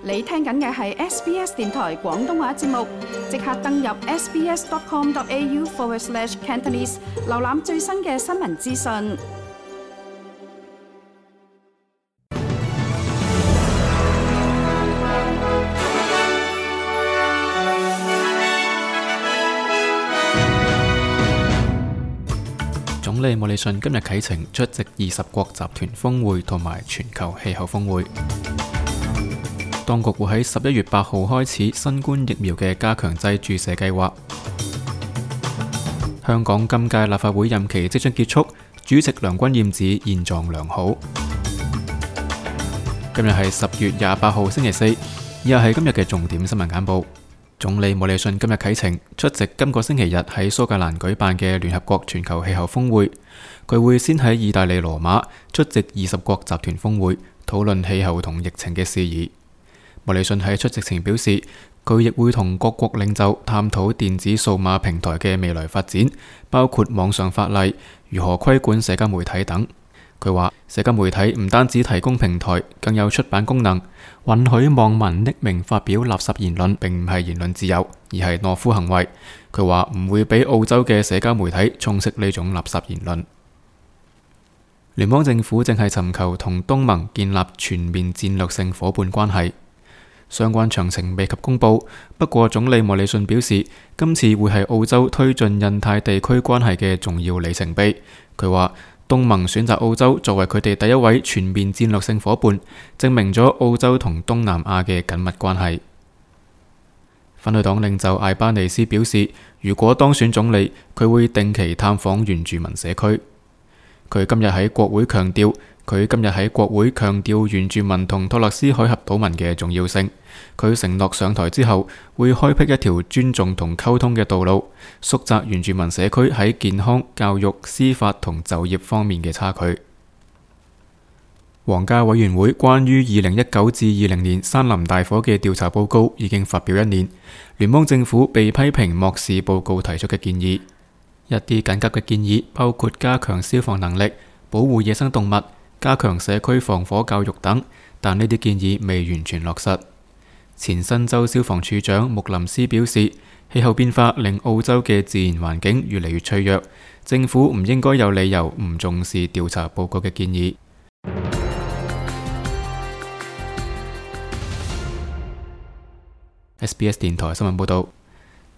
你聽緊嘅係 SBS 電台廣東話節目，即刻登入 sbs.com.au/Cantonese 瀏覽最新嘅新聞資訊。總理莫里遜今日啟程出席20國集團峰會同埋全球氣候峰會。當局會喺11月8號開始新冠疫苗嘅加強劑注射計劃。香港今屆立法會任期即將結束，主席梁君彥指現狀良好。今日係10月28號星期四，以下係今日嘅重點新聞簡報。總理莫里遜今日啟程出席今個星期日喺蘇格蘭舉辦嘅聯合國全球氣候峰會。佢會先喺意大利羅馬出席20國集團峰會，討論氣候同疫情嘅事宜。莫里遜喺出席前表示，佢亦會同各國領袖探討電子數碼平台嘅未來發展，包括網上法例、如何規管社交媒體等。佢話社交媒體唔單止提供平台，更有出版功能，允許網民匿名發表垃圾言論，並唔係言論自由，而係懦夫行為。佢話唔會俾澳洲嘅社交媒體充斥呢種垃圾言論。聯邦政府正係尋求同東盟建立全面戰略性夥伴關係，相關詳情未及公佈。不過總理莫里遜表示，今次會係澳洲推進印太地區關係嘅重要里程碑。佢話東盟選擇澳洲作為佢哋第一位全面戰略性夥伴，證明咗澳洲同東南亞嘅緊密關係。反對黨領袖艾巴尼斯表示，如果當選總理，佢會定期探訪原住民社區。佢今日喺國會強調原住民同托勒斯海峽島民嘅重要性。佢承諾上台之後會開闢一條尊重同溝通嘅道路，縮窄原住民社區喺健康、教育、司法同就業方面嘅差距。皇家委員會關於2019至20年山林大火嘅調查報告已經發表1年，聯邦政府被批評漠視報告提出嘅建議。一啲緊急嘅建議包括加強消防能力、保護野生動物、加強社區防火教育等，但呢啲建議未完全落實。前新州消防處長穆林斯表示，氣候變化令澳洲嘅自然環境越嚟越脆弱，政府唔應該有理由唔重視調查報告嘅建議。SBS 電台新聞報道。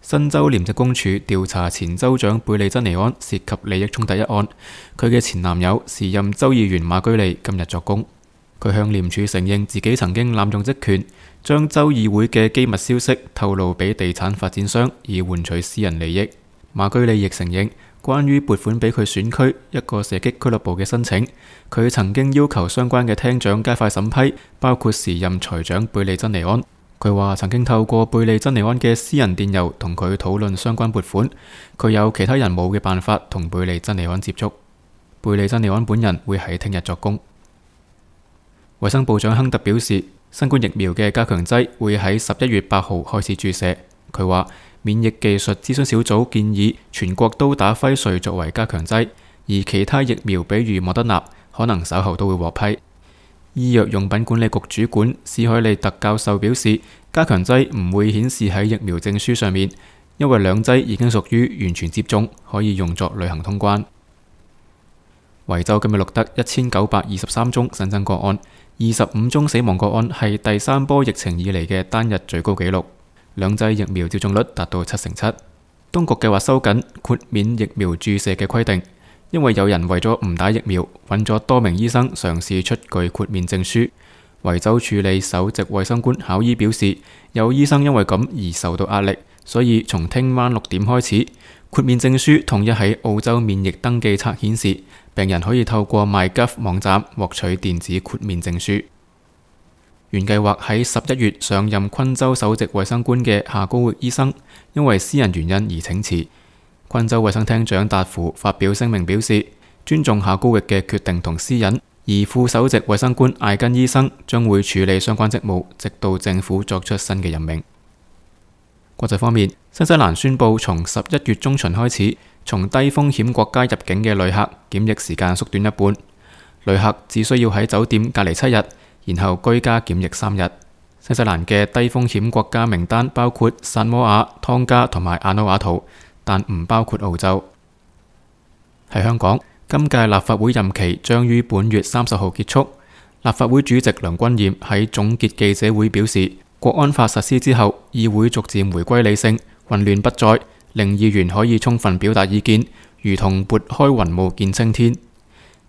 新州廉政公署調查前州長貝利珍尼安涉及利益衝突一案，佢嘅前男友時任州議員馬居利今日作供。佢向廉署承認自己曾經濫用職權，將州議會嘅機密消息透露俾地產發展商，以換取私人利益。馬居利亦承認，關於撥款俾佢選區一個射擊俱樂部嘅申請，佢曾經要求相關嘅廳長加快審批，包括時任財長貝利珍尼安。佢話曾經透過貝利珍尼安嘅私人電郵同佢討論相關撥款，佢有其他人冇嘅辦法同貝利珍尼安接觸。貝利珍尼安本人會喺聽日作供。衛生部長亨特表示，新冠疫苗嘅加強劑會喺11月8號開始注射。佢話免疫技術諮詢小組建議全國都打輝瑞作為加強劑，而其他疫苗比如莫德納可能稍後都會獲批。醫藥用品管理局主管史海利特教授表示，加強劑唔會顯示喺疫苗證書上面，因為兩劑已經屬於完全接種，可以用作旅行通關。維州今日錄得1923宗新增個案，25宗死亡個案，係第3波疫情以嚟嘅單日最高紀錄。兩劑疫苗接種率達到7%。當局計劃收緊豁免疫苗注射嘅規定，因為有人為咗唔打疫苗，揾咗多名醫生嘗試出具豁免證書。維州處理首席衛生官考伊表示，有醫生因為咁而受到壓力，所以從聽晚6點開始，豁免證書統一喺澳洲免疫登記冊顯示，病人可以透過 MyGov 網站獲取電子豁免證書。原計劃喺11月上任昆州首席衛生官嘅夏高域醫生，因為私人原因而請辭。昆州衛生廳長達芙發表聲明表示，尊重夏高域嘅決定同私隱，而副首席衛生官艾根醫生將會處理相關職務，直到政府作出新嘅任命。國際方面，新西蘭宣布從11月中旬開始，從低風險國家入境嘅旅客檢疫時間縮短一半，旅客只需要喺酒店隔離7日，然後居家檢疫3日。新西蘭嘅低風險國家名單包括薩摩亞、湯加同埋阿努瓦圖，但唔包括澳洲。喺香港，今屆立法會任期將於本月30號結束。立法會主席梁君彥喺總結記者會表示，國安法實施之後，議會逐漸回歸理性，混亂不再，令議員可以充分表達意見，如同撥開雲霧見青天。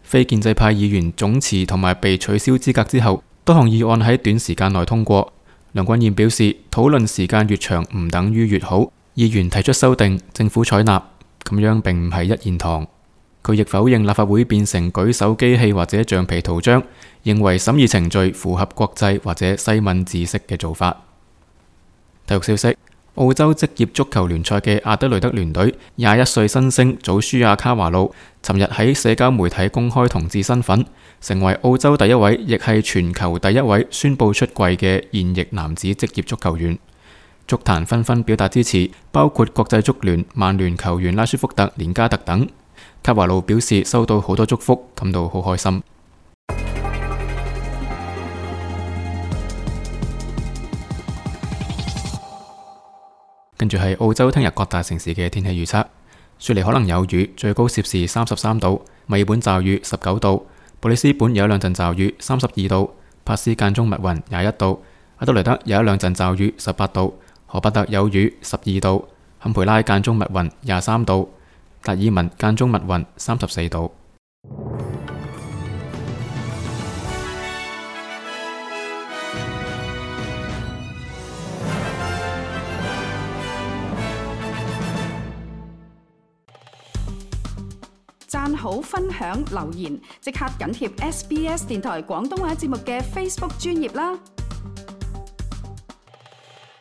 非建制派議員總辭同埋被取消資格之後，多項議案喺短時間內通過。梁君彥表示，討論時間越長唔等於越好，議員提出修訂，政府採納，咁樣並唔係一言堂。佢亦否認立法會變成舉手機器或者橡皮圖章，認為審議程序符合國際或者西敏知識嘅做法。體育消息：澳洲職業足球聯賽嘅阿德雷德聯隊21歲新星祖舒亞卡華路，尋日喺社交媒體公開同志身份，成為澳洲第一位，亦係全球第一位宣布出櫃嘅現役男子職業足球員。足壇紛紛表達支持，包括國際足聯、曼聯球員拉舒福特、連加特等。卡華路表示收到好多祝福，感到好開心。跟住係澳洲聽日各大城市嘅天氣預測：雪梨可能有雨，最高攝氏33度；墨爾本驟雨19度；布里斯本有一兩陣驟雨32度；珀斯間中密雲21度；阿德萊德有一兩陣驟雨18度；荷伯特有雨12度；坎培拉間中密雲23度；達爾文間中密雲34度。讚好、分享、留言，即刻緊貼SBS 電台廣東話節目嘅 Facebook 專頁啦！